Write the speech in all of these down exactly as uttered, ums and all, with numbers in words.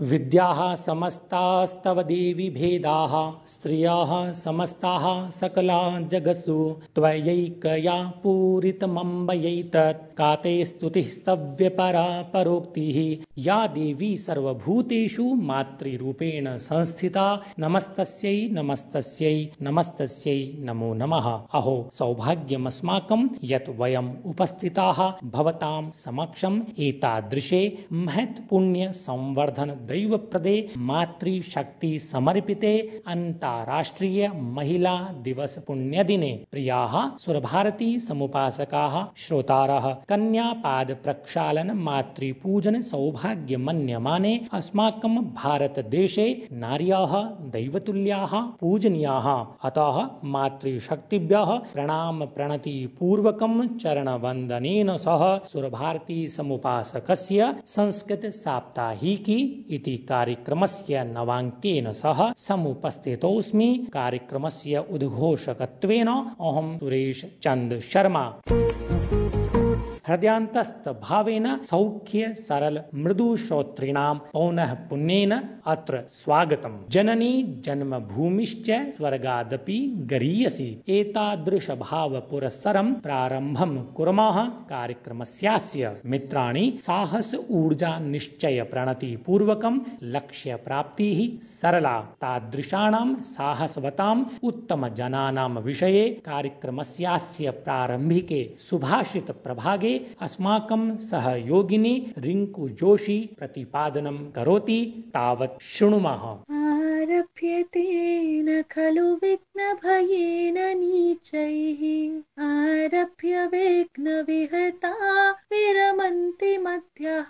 विद्याः समस्तास्तव देवी भेदाः स्त्रियः समस्ताः सकला जगत्सु त्वयैकया पूरितमम्बयैतत् का ते स्तुतिः स्तव्यपरा परोक्तिः या देवी सर्वभूतेषु मातृरूपेण संस्थिता नमस्तस्यै नमस्तस्यै नमस्तस्यै नमो नमः। अहो सौभाग्यमस्माकं यत् वयम् उपस्थिताः भवतां समक्षम् एतादृशे महत्पुण्य संवर्धन दैवप्रदे मातृशक्ति समर्पिते अन्ताराष्ट्रिय महिला दिवस पुण्यदिने प्रियाः सुरभारती समुपासकाः श्रोतारः कन्यापाद प्रक्षालन मातृपूजन सौभाग्य मन्यमाने अस्माकं भारतदेशे नार्याः दैवतुल्याः पूजनीयाः। अतः मातृशक्तिभ्यः प्रणाम प्रणति पूर्वकं चरणवन्दनेन सह सुरभारती समुपासकस्य संस्कृत साप्ताहिकी इति कार्यक्रमस्य नवाङ्केन सह समुपस्थितोऽस्मि। कार्यक्रमस्य उद्घोषकत्वेन अहं सुरेश चंद शर्मा। हृदयान्तस्थ भावेन सौख्य सरल मृदु श्रोतॄणां पौनः पुण्येन अत्र स्वागतम्। जननी जन्मभूमिश्च स्वर्गादपि गरीयसी। एतादृश भाव पुरस्सरं प्रारम्भं कुर्मः कार्यक्रमस्यास्य। मित्राणि साहस ऊर्जा निश्चय प्रणति पूर्वकं लक्ष्य प्राप्तिः सरला। तादृशानां साहसवताम् उत्तम जनानां विषये कार्यक्रमस्यास्य प्रारम्भिके सुभाषित प्रभागे अस्माकं सहयोगिनी रिंकू जोशी प्रतिपादनं करोति। तावत् शृणुमः। आरभ्यते न खलु विघ्नभयेन नीचैः आरभ्य विघ्नविहता विरमन्ति मध्यः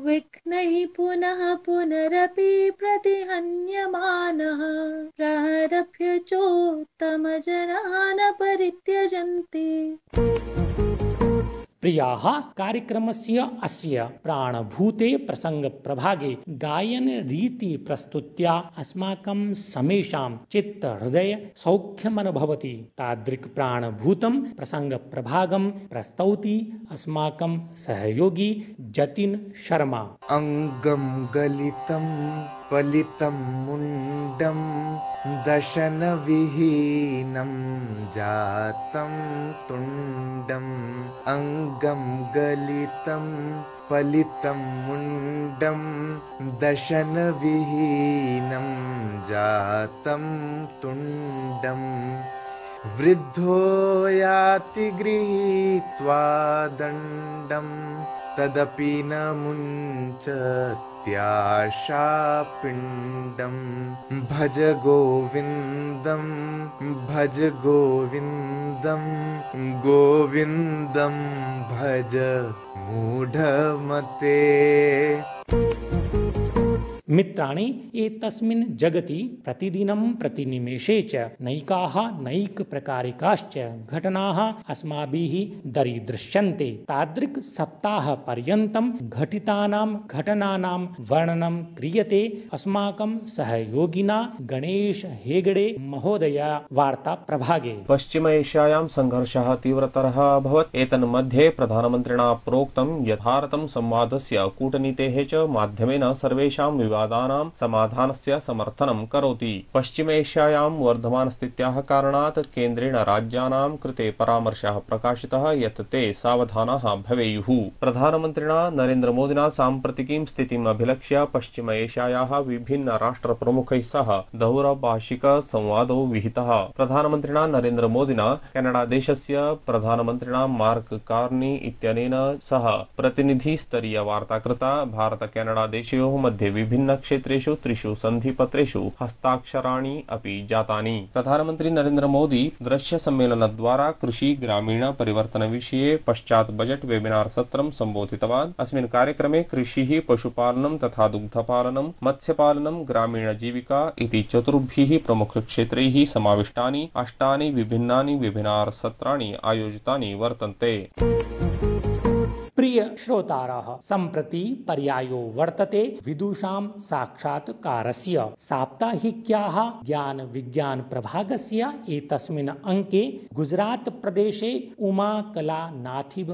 विघ्नैः पुनः पुनरपि प्रतिहन्यमानः प्रारभ्य चोत्तमजनान् परित्यजन्ति। प्रियाः कार्यक्रमस्य अस्य प्राणभूते प्रसंग प्रभागे गायन रीति प्रस्तुत्या अस्माकं समेषां चित्त हृदय सौख्यमनुभवति। तादृक् प्राणभूतं प्रसंग प्रभागं प्रस्तौति अस्माकं सहयोगी जतिन शर्मा। अंगं गलितं पलितं मुंडं दशन विहीनं जातं तुंडं अंगं गलितं पलितं मुंडं दशन विहीनं जातं तुंडं वृद्धो याति गृहीत्वा दण्डं तदपि न मुञ्चत्याशापिण्डं भज गोविन्दं भज गोविन्दं गोविन्दं भज मूढमते। मित्राणि एतस्मिन् जगति प्रतिदिनं प्रतिनिमेषे च नैकाः नैक प्रकारिकाश्च घटनाः अस्माभिः दरीदृश्यन्ते। तादृक् सप्ताह पर्यन्तं घटितानां घटनानां वर्णनं क्रियते अस्माकं सहयोगिना गणेश हेगड़े महोदय वार्ता प्रभागे। पश्चिम एशियायां संघर्षः तीव्रतरः अभवत्। एतन्मध्ये प्रधानमन्त्रिणा प्रोक्तं यत् भारतं संवादस्य कूटनीतेः च माध्यमेन सर्वेषां विवादानां समाधानस्य समर्थनं करोति। पश्चिम एशियायां वर्धमानस्थित्याः कारणात् केन्द्रेण राज्यानां कृते परामर्शः प्रकाशितः यत् ते सावधानाः भवेयुः। प्रधानमन्त्रिणा नरेन्द्रमोदिना साम्प्रतिकीं स्थितिम् अभिलक्ष्य पश्चिम एशियायाः विभिन्न राष्ट्रप्रमुखैः सह दौरभाषिक संवादो विहितः। प्रधानमन्त्रिणा नरेन्द्रमोदिना केनडादेशस्य प्रधानमन्त्रिणा मार्क कार्नी इत्यनेन सह प्रतिनिधिस्तरीय वार्ता कृता। भारत केनडा देशयोः मध्ये विभिन्न क्षेत्रेषु त्रिषु सन्धिपत्रेषु हस्ताक्षराणि अपि जातानि। प्रधानमन्त्री नरेन्द्र मोदी दृश्य सम्मेलनद्वारा कृषि ग्रामीण परिवर्तन विषये पश्चात् बजेट वेबिनार सत्रं सम्बोधितवान्। अस्मिन् कार्यक्रमे कृषिः पशुपालनं तथा दुग्धपालनं मत्स्यपालनं ग्रामीण जीविका इति चतुर्भिः प्रमुखक्षेत्रैः समाविष्टानि अष्टानि विभिन्नानि वेबिनार सत्राणि आयोजितानि वर्तन्ते। प्रिय श्रोतारः, सम्प्रति पर्यायो वर्तते विदुषां साक्षात्कारस्य। साप्ताहिक्याः ज्ञान विज्ञान प्रभागस्य एतस्मिन् अंके गुजरात प्रदेशे उमा कला नाथिब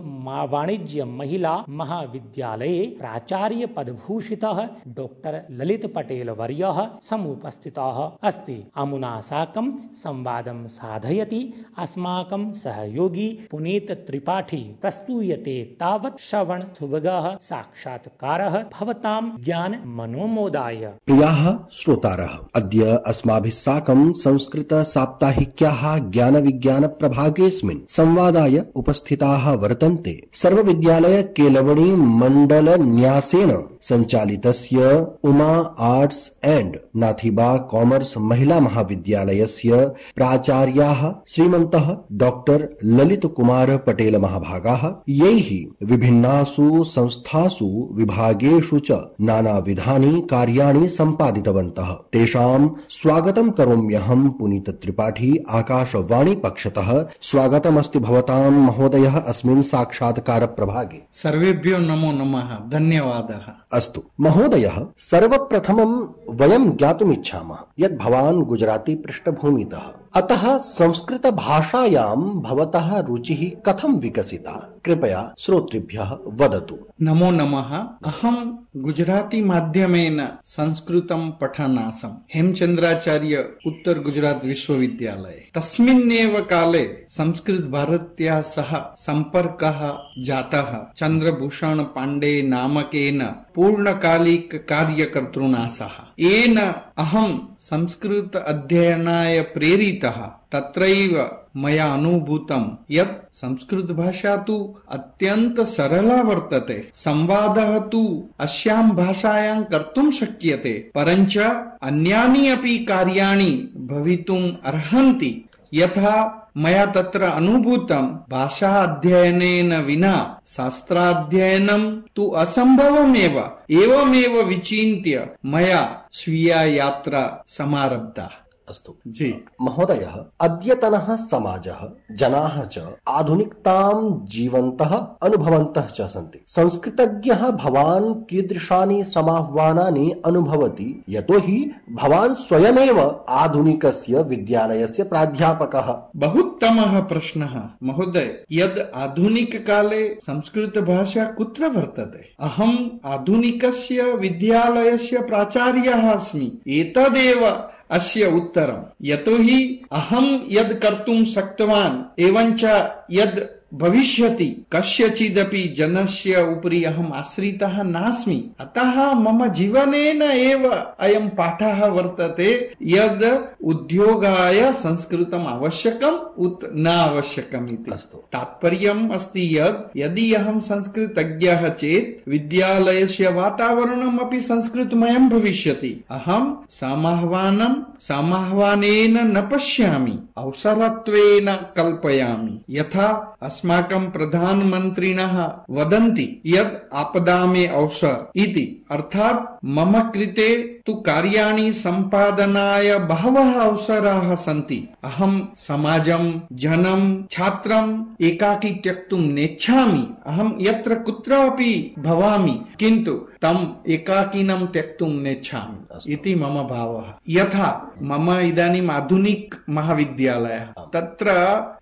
वाणिज्य महिला महाविद्यालये प्राचार्य पदभूषितः डॉक्टर ललित पटेल वर्यः समुपस्थितः अस्ति। अमुना साकं संवादं साधयति अस्माकं सहयोगी पुनीत त्रिपाठी। प्रस्तूयते तावत् श्रवण सुभगः साक्षात्कारः भवतां ज्ञान मनोमोदाय। प्रियाः श्रोतारः, अद्य अस्माभिः साकं संस्कृत साप्ताहिक्याः ज्ञान विज्ञान प्रभागेऽस्मिन् संवादाय उपस्थिताः वर्तन्ते। सर्वविद्यालय केलवणी मंडल न्यासेन संचालितस्य उमा आर्ट्स एंड नाथिबा कॉमर्स महिला महाविद्यालयस्य प्राचार्याः श्रीमन्तः डॉक्टर ललित कुमार पटेल महाभागाः, यैः विभिन्नासु संस्थासु विभागेषु च नानाविधानि कार्याणि सम्पादितवन्तः। तेषां स्वागतं करोम्यहं पुनीत त्रिपाठी आकाशवाणी पक्षतः। स्वागतमस्ति भवतां महोदयः अस्मिन् साक्षात्कार प्रभागे। सर्वेभ्यो नमो नमः, धन्यवादः। अस्तु महोदयः, सर्वप्रथमं वयं ज्ञातुमिच्छामः यत् भवान् गुजराती पृष्ठभूमितः, अतः संस्कृत भाषायां भवतः रुचिः कथं विकसिता? कृपया श्रोतृभ्यः वदतु। नमो नमः। अहं गुजराती माध्यमेन संस्कृतं पठन् आसम् हेमचन्द्राचार्य उत्तर गुजरात विश्वविद्यालये। तस्मिन्नेव काले संस्कृत भारत्याः सह सम्पर्कः जातः चन्द्रभूषण पाण्डे नामकेन पूर्णकालिक कार्यकर्तृणा सह। येन अहं संस्कृत अध्ययनाय प्रेरितः। तत्रैव मया अनुभूतं यत् संस्कृत भाषा तु अत्यंत सरला वर्तते। संवादः तु अस्यां भाषायां कर्तुं शक्यते, परञ्च अन्यानि अपि कार्याणि भवितुम् अर्हन्ति। यथा मया तत्र अनुभूतं, भाषा अध्ययनेन विना शास्त्राध्ययनं तु असम्भवमेव। एवमेव विचिन्त्य मया स्वीया यात्रा समारब्धा। अस्तु जी महोदयः, अद्यतनः समाजः जनाः च आधुनिकतां जीवन्तः अनुभवन्तः च सन्ति। संस्कृतज्ञः भवान् कीदृशानि समाह्वानानि अनुभवति? यतोहि भवान् स्वयमेव आधुनिकस्य विद्यालयस्य प्राध्यापकः। बहुत्तमः प्रश्नः महोदय। यद् आधुनिककाले संस्कृत भाषा कुत्र वर्तते? अहम् आधुनिकस्य विद्यालयस्य प्राचार्यः अस्मि। एतदेव अस्य उत्तरम्। यतोहि अहं यद् कर्तुं शक्तवान् एवञ्च यद् भविष्यति कस्यचिदपि जनस्य उपरि अहम् आश्रितः नास्मि। अतः मम जीवनेन एव अयं पाठः वर्तते यद् उद्योगाय संस्कृतम् आवश्यकम् उत न आवश्यकम् इति। तात्पर्यम् अस्ति यद् यदि अहं संस्कृतज्ञः चेत् विद्यालयस्य वातावरणम् अपि संस्कृतमयं भविष्यति। अहं समाह्वानं समाह्वानेन न पश्यामि, अवसरत्वेन कल्पयामि। यथा अस्माकं प्रधानमन्त्रिणः वदन्ति यद् आपदा में अवसर इति, अर्थात् मम कृते तु कार्याणि सम्पादनाय बहवः अवसराः सन्ति। अहं समाजं, जनं, छात्रम् एकाकी त्यक्तुं नेच्छामि। अहं यत्र कुत्रापि भवामि, किन्तु तम् एकाकिनं त्यक्तुं नेच्छामि इति मम भावः। यथा मम इदानीम् आधुनिक महाविद्यालयः, तत्र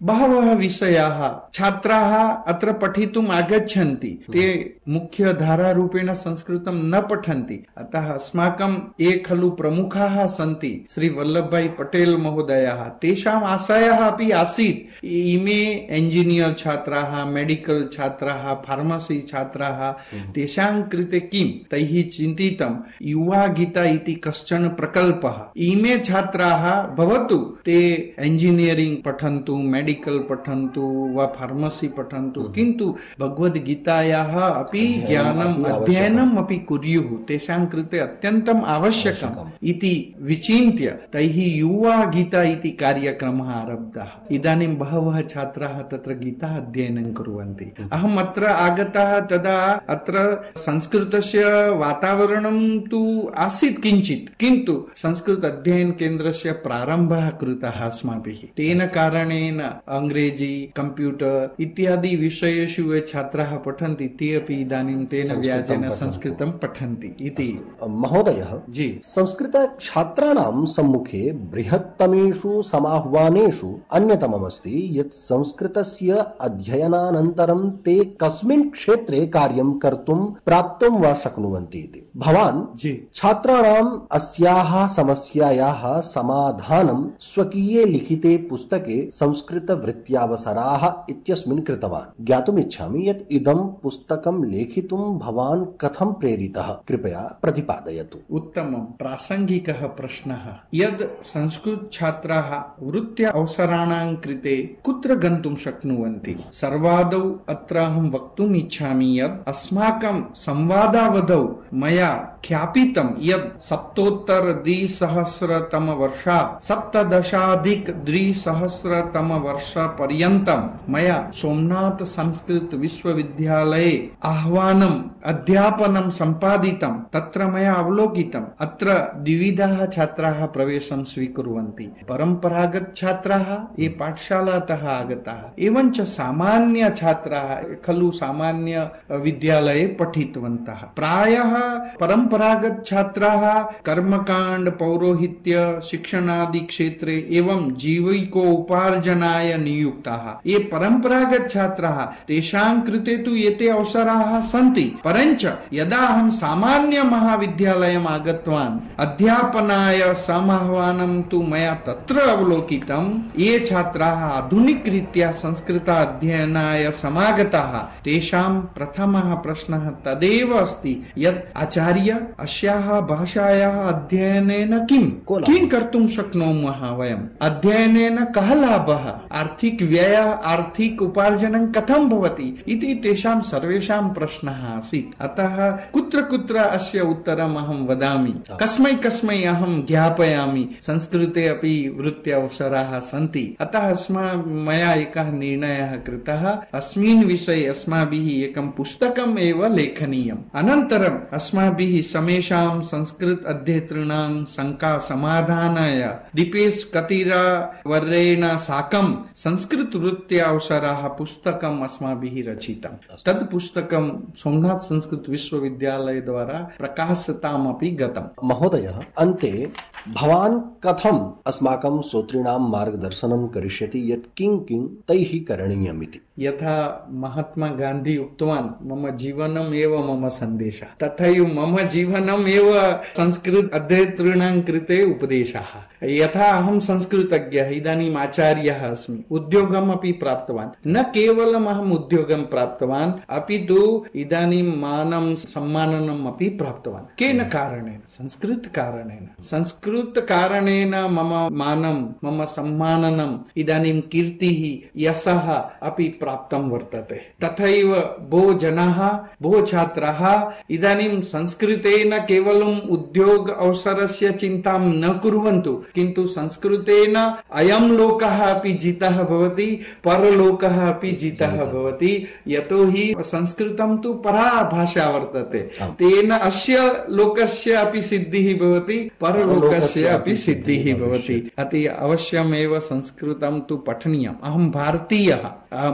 बहवः विषयाः छात्राः अत्र पठितुम् आगच्छन्ति। ते मुख्य धारारूपेण संस्कृतं न पठन्ति। अतः अस्माकं ये खलु प्रमुखाः सन्ति श्री वल्लभभाई पटेल महोदयः, तेषाम् आशयः अपि आसीत् इमे इंजीनियर छात्राः, मेडिकल छात्राः, फार्मसी छात्राः, तेषां कृते किं तैः चिन्तितं युवा गीता इति कश्चन प्रकल्पः। इमे छात्राः भवतु ते इंजीनियरिंग पठन्तु, मेडिकल पठन्तु वा फार्मसी पठन्तु, किन्तु भगवद्गीतायाः अपि ज्ञानम् अध्ययनम् अपि कुर्युः। तेषां कृते अत्यन्तम् आवश्यकम् आवश्यकम् इति विचिन्त्य तैः युवा गीता इति कार्यक्रमः आरब्धः। इदानीं बहवः छात्राः तत्र गीता अध्ययनं कुर्वन्ति। अहम् अत्र आगतः तदा अत्र संस्कृतस्य वातावरणं तु आसीत् किञ्चित्, किन्तु संस्कृत अध्ययन केन्द्रस्य प्रारम्भः कृतः अस्माभिः। तेन कारणेन अंग्रेजी, कंप्यूटर इत्यादि विषयेषु ये छात्राः पठन्ति ते अपि इदानीं तेन व्याजेन संस्कृतं पठन्ति इति। महोदयः जी, संस्कृत छात्राणां सम्मुखे बृहत्तमेषु समाह्वानेषु अन्यतममस्ति यत् संस्कृतस्य अध्ययनानन्तरं ते कस्मिन् क्षेत्रे कार्यं कर्तुं प्राप्तुं वा शक्नुवन्ति इति। भवान् जी छात्राणाम् अस्याः समस्यायाः समाधानं स्वकीये लिखिते पुस्तके संस्कृत वृत्त्यावसराः इत्यस्मिन् कृतवान्। ज्ञातुम् इच्छामि यत् इदं पुस्तकं लेखितुं भवान् कथं प्रेरितः, कृपया प्रतिपादयतु। उत्तमं प्रासङ्गिकः प्रश्नः। यद् संस्कृत छात्राः वृत्त्या अवसराणां कृते कुत्र गन्तुं शक्नुवन्ति, सर्वादौ अत्र अहं वक्तुम् इच्छामि यत् अस्माकं संवादावधौ मया ख्यापितं यत् सप्तोत्तर द्विसहस्रतम वर्षात् सप्तदशाधिक द्विसहस्रतम वर्ष पर्यन्तं मया सोमनाथ संस्कृत विश्वविद्यालये आह्वानम् अध्यापनं सम्पादितं। तत्र मया अवलोकितम् अत्र द्विविधाः छात्राः प्रवेशं स्वीकुर्वन्ति। परम्परागत छात्राः ये पाठशालातः आगताः, एवञ्च सामान्य छात्राः खलु सामान्य विद्यालये पठितवन्तः। प्रायः परम्परागत छात्राः कर्मकाण्ड, पौरोहित्य, शिक्षणादि क्षेत्रे एवं जीविकोपार्जनाय नियुक्ताः। ये परम्परागत छात्राः तेषां कृते तु एते अवसराः सन्ति, परञ्च यदा अहं सामान्य महाविद्यालयम् आगतवान् अध्यापनाय समाह्वानं तु मया तत्र अवलोकितं ये छात्राः आधुनिकरीत्या संस्कृत अध्ययनाय समागताः तेषां प्रथमः प्रश्नः तदेव अस्ति यत् आचार्य अस्याः भाषायाः अध्ययनेन किं किं कर्तुं शक्नुमः वयम्, अध्ययनेन कः लाभः, आर्थिक व्यय, आर्थिक उपार्जनं कथं भवति इति तेषां सर्वेषां प्रश्नः आसीत्। अतः कुत्र कुत्र अस्य उत्तरम् अहं वदामि, कस्मै कस्मै अहं ज्ञापयामि। संस्कृते अपि वृत्त्यवसराः सन्ति। अतः अस्मा मया एकः निर्णयः कृतः, अस्मिन् विषये अस्माभिः एकं पुस्तकम् एव लेखनीयम्। अनन्तरम् अस्माभिः समेषां संस्कृत अध्येतॄणां शङ्का समाधानाय दीपेश कतीरा वर्येण साकं संस्कृत वृत्त्या अवसराः पुस्तकम् अस्माभिः रचितं। तत् पुस्तकं सोमनाथ संस्कृत विश्वविद्यालय द्वारा प्रकाशितमपि गतम्। महोदयः, अन्ते भवान् कथम् अस्माकं श्रोतॄणां मार्गदर्शनं करिष्यति यत् किं किं तैः करणीयमिति? यथा महात्मा गान्धी उक्तवान्, मम जीवनम् एव मम सन्देशः, तथैव मम जीवनम् एव संस्कृत अध्येतॄणां कृते उपदेशः। यथा अहं संस्कृतज्ञः, इदानीम् आचार्यः अस्मि, उद्योगम् अपि प्राप्तवान्। न केवलम् अहम् उद्योगं प्राप्तवान्, अपि तु इदानीं मानं सम्माननम् अपि प्राप्तवान्। केन कारणेन? संस्कृत कारणेन। संस्कृत कारणेन मम मानं, मम सम्माननम्, इदानीं कीर्तिः, यशः अपि प्राप्तं वर्तते। तथैव बहु जनाः, बहु छात्राः इदानीं संस्कृतेन केवलम् उद्योग अवसरस्य चिन्तां न कुर्वन्तु, किन्तु संस्कृतेन अयं लोकः अपि जितः भवति, परलोकः अपि जितः भवति। यतोहि संस्कृतं तु परा भाषा वर्तते, तेन अस्य लोकस्य अपि सिद्धिः भवति, परलोकस्य अपि सिद्धिः भवति। अति अवश्यमेव संस्कृतं तु पठनीयम्। अहं भारतीयः,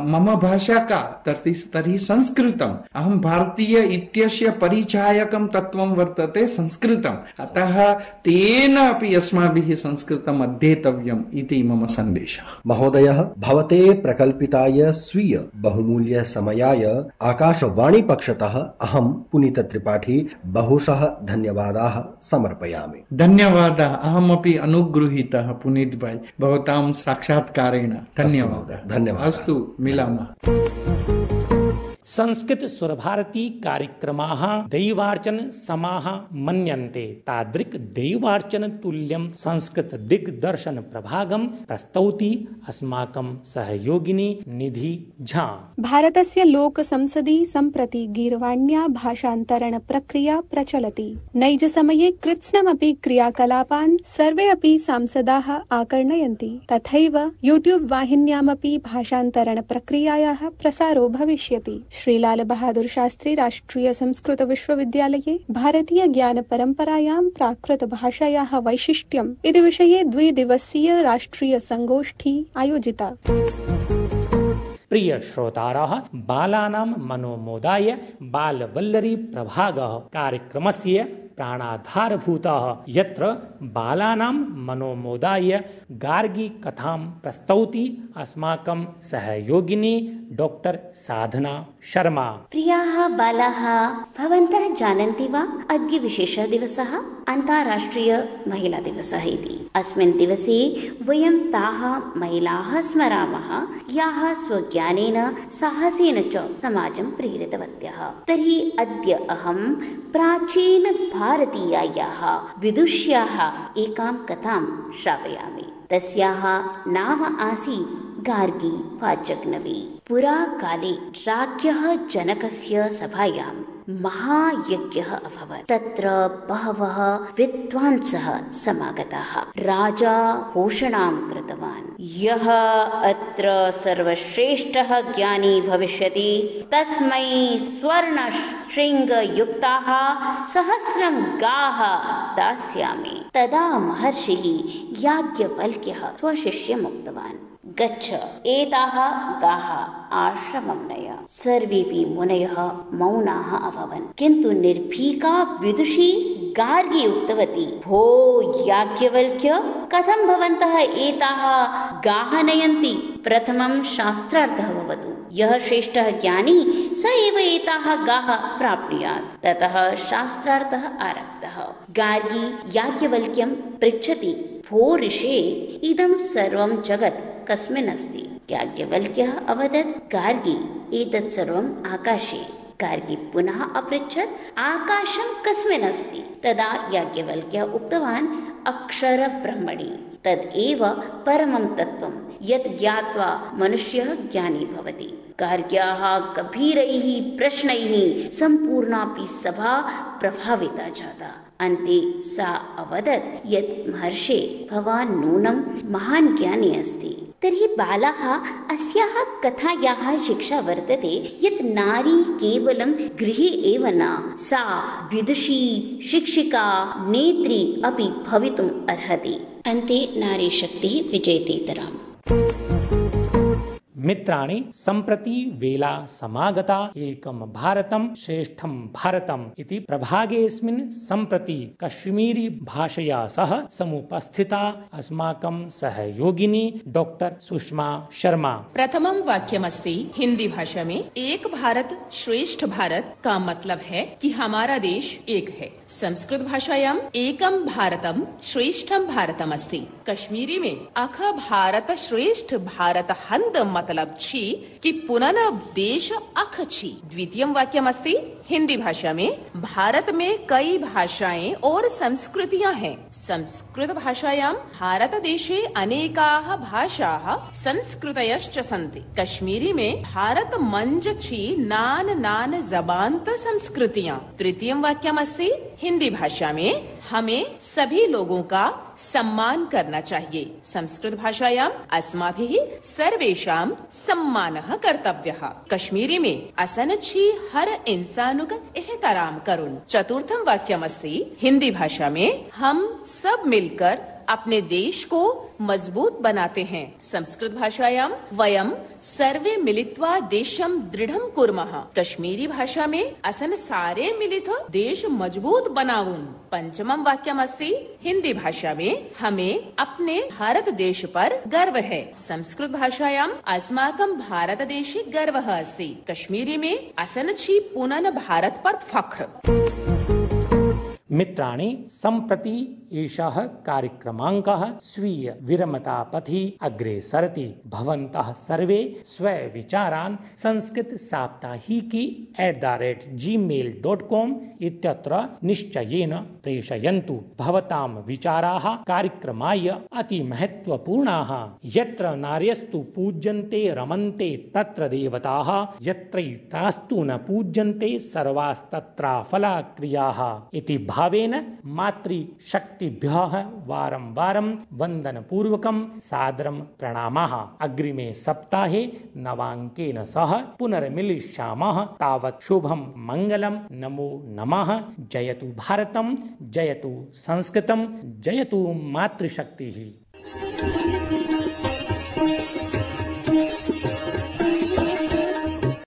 मम भाषा का तर्हि तर्हि संस्कृतम्। अहं भारतीय इत्यस्य परिचायकं तत्त्वं वर्तते संस्कृतम्। अतः तेन अपि अस्माभिः संस्कृतम् अध्येतव्यम् इति मम सन्देशः। महोदयः, भवते प्रकल्पिताय स्वीय बहुमूल्य समयाय आकाशवाणी पक्षतः अहं पुनीत त्रिपाठी बहुशः धन्यवादाः समर्पयामि। धन्यवादः। अहमपि अनुगृहीतः पुनीत भाई भवतां साक्षात्कारेण। धन्यवादः। धन्यवादः। अस्तु, मिलामः। संस्कृत सुरभारती कार्यक्रमाः दैवार्चन समाः मन्यन्ते तादृक् दैवार्चन तुल्यं संस्कृत दिग्दर्शन प्रभागं प्रस्तौति अस्माकं सहयोगिनी निधि झा। भारतस्य लोकसंसदि सम्प्रति गीर्वाण्या भाषान्तरण प्रक्रिया प्रचलति। नैज समये कृत्स्नमपि क्रियाकलापान् सर्वे अपि सांसदाः आकर्णयन्ति। तथैव यूट्यूब वाहिन्यामपि भाषान्तरण प्रक्रियायाः प्रसारो भविष्यति। श्रीलाल बहादुर शास्त्री राष्ट्रिय संस्कृत विश्वविद्यालये भारतीय ज्ञान परम्परायां प्राकृत भाषायाः वैशिष्ट्यम् इति विषये द्विदिवसीय राष्ट्रिय संगोष्ठी आयोजिता। प्रिय श्रोतारः, बालानां मनोमोदाय बालवल्लरी प्रभागः कार्यक्रमस्य प्राणाधारभूतः, यत्र बालानां मनोमोदाय गार्गी कथां प्रस्तौति अस्माकं सहयोगिनी डॉक्टर साधना शर्मा। प्रियाः बालाः, भवन्तः जानन्ति वा अद्य विशेषः दिवसः अन्ताराष्ट्रिय महिला दिवसः इति। अस्मिन् दिवसे वयं ताः महिलाः स्मरामः याः स्वज्ञानेन साहसेन च समाजं प्रेरितवत्यः। तर्हि अद्य अहं प्राचीन भारतीयायाः विदुष्याः एकां कथां श्रावयामि। तस्याः नाम आसीत् गार्गी वाचग्नवी। पुरा काले राज्ञः जनकस्य सभायां महायज्ञः अभवत्। तत्र बहवः विद्वांसः समागताः। राजा घोषणां कृतवान्, यः अत्र सर्वश्रेष्ठः ज्ञानी भविष्यति तस्मै स्वर्ण शृङ्गयुक्ताः सहस्रं गाः दास्यामि। तदा महर्षिः याज्ञवल्क्यः स्वशिष्यम् उक्तवान्, गच्छ, एताः गाः आश्रमं नय। सर्वेऽपि मुनयः मौनाः अभवन्, किन्तु निर्भीका विदुषी गार्गी उक्तवती, भो याज्ञवल्क्य, कथं भवन्तः एताः गाः नयन्ति? प्रथमं शास्त्रार्थः भवतु। यः श्रेष्ठः ज्ञानी स एव एताः गाः प्राप्नुयात्। ततः शास्त्रार्थः आरब्धः। गार्गी याज्ञवल्क्यं पृच्छति, भो ऋषे, इदं सर्वं जगत् कस्मिन् अस्ति? याज्ञवल्क्यः अवदत्, गार्गी, एतत् सर्वम् आकाशे। गार्गी पुनः अपृच्छत्, आकाशं कस्मिन् अस्ति? तदा याज्ञवल्क्यः उक्तवान्, अक्षर ब्रह्मणि। तदेव परमं तत्त्वं, यत् ज्ञात्वा मनुष्यः ज्ञानी भवति। गार्ग्याः गभीरैः प्रश्नैः सम्पूर्णापि सभा प्रभाविता जाता। अन्ते सा अवदत्, यत् महर्षे, भवान् नूनं महान् ज्ञानी अस्ति। तर्हि बालाः, अस्याः कथायाः शिक्षा वर्तते यत् नारी केवलं गृहे एव न, सा विदुषी, शिक्षिका, नेत्री अपि भवितुम् अर्हति। अन्ते नारी शक्तिः विजयतेतराम्। मित्राणि, सम्प्रति वेला समागता एकं भारतं श्रेष्ठं भारतम् इति प्रभागेऽस्मिन् सम्प्रति कश्मीरी भाषया सह समुपस्थिता अस्माकं सहयोगिनी डॉक्टर सुषमा शर्मा। प्रथमं वाक्यमस्ति हिंदी भाषा में, एक भारत श्रेष्ठ भारत का मतलब है कि हमारा देश एक है। संस्कृत भाषायां एकं भारतं श्रेष्ठं भारतम् अस्ति। कश्मीरी में अख भारत श्रेष्ठ भारत हंद मतलब छी कि पुनः देश अख छी। द्वितीयं वाक्यमस्ति हिंदी भाषा में, भारत में कई भाषाएं और संस्कृतियां हैं। संस्कृत भाषायां भारत देशे अनेकाः भाषाः संस्कृतयश्च सन्ति। कश्मीरी में भारत मंज छी नान नान जबान्त संस्कृतियां। तृतीयं वाक्यमस्ति हिंदी भाषा में, हमें सभी लोगों का सम्मान करना चाहिए। संस्कृत भाषायां अस्माभिः सर्वेषां सम्मानः कर्तव्यः। कश्मीरी में असन छी हर इंसानुक एहतराम करुन्। चतुर्थं वाक्यमस्ति हिंदी भाषा में, हम सब मिलकर अपने देश को मजबूत बनाते हैं। संस्कृत भाषायां वयं सर्वे मिलित्वा देशं दृढं कुर्मः। कश्मीरी भाषा में असन सारे मिलित देश मजबूत बनावुन्। पंचमं वाक्यमस्ति हिंदी भाषा में, हमें अपने भारत देश पर गर्व है। संस्कृत भाषायां अस्माकं भारत देशे गर्वः अस्ति। कश्मीरी में असन छी पुनः भारत पर फख्र। मित्राणि, सम्प्रति एषः कार्यक्रमाङ्कः स्वीय विरमतापथि अग्रे सरति। भवन्तः सर्वे स्वविचारान् Sanskrit Saptahiki at the rate Gmail dot com इत्यत्र निश्चयेन प्रेषयन्तु। भवतां विचाराः कार्यक्रमाय अति महत्वपूर्णाः। यत्र नार्यस्तु पूज्यन्ते रमन्ते तत्र देवताः, यत्रैतास्तु न पूज्यन्ते सर्वास्तत्राफला क्रियाः इति भावेन मातृशक्तिभ्यः वारं वारं वन्दनपूर्वकं सादरं प्रणामाः। अग्रिमे सप्ताहे नवाङ्केन सह पुनर्मिलिष्यामः। तावत् शुभं मङ्गलं। नमो नमः। जयतु भारतं, जयतु संस्कृतं, जयतु मातृशक्तिः।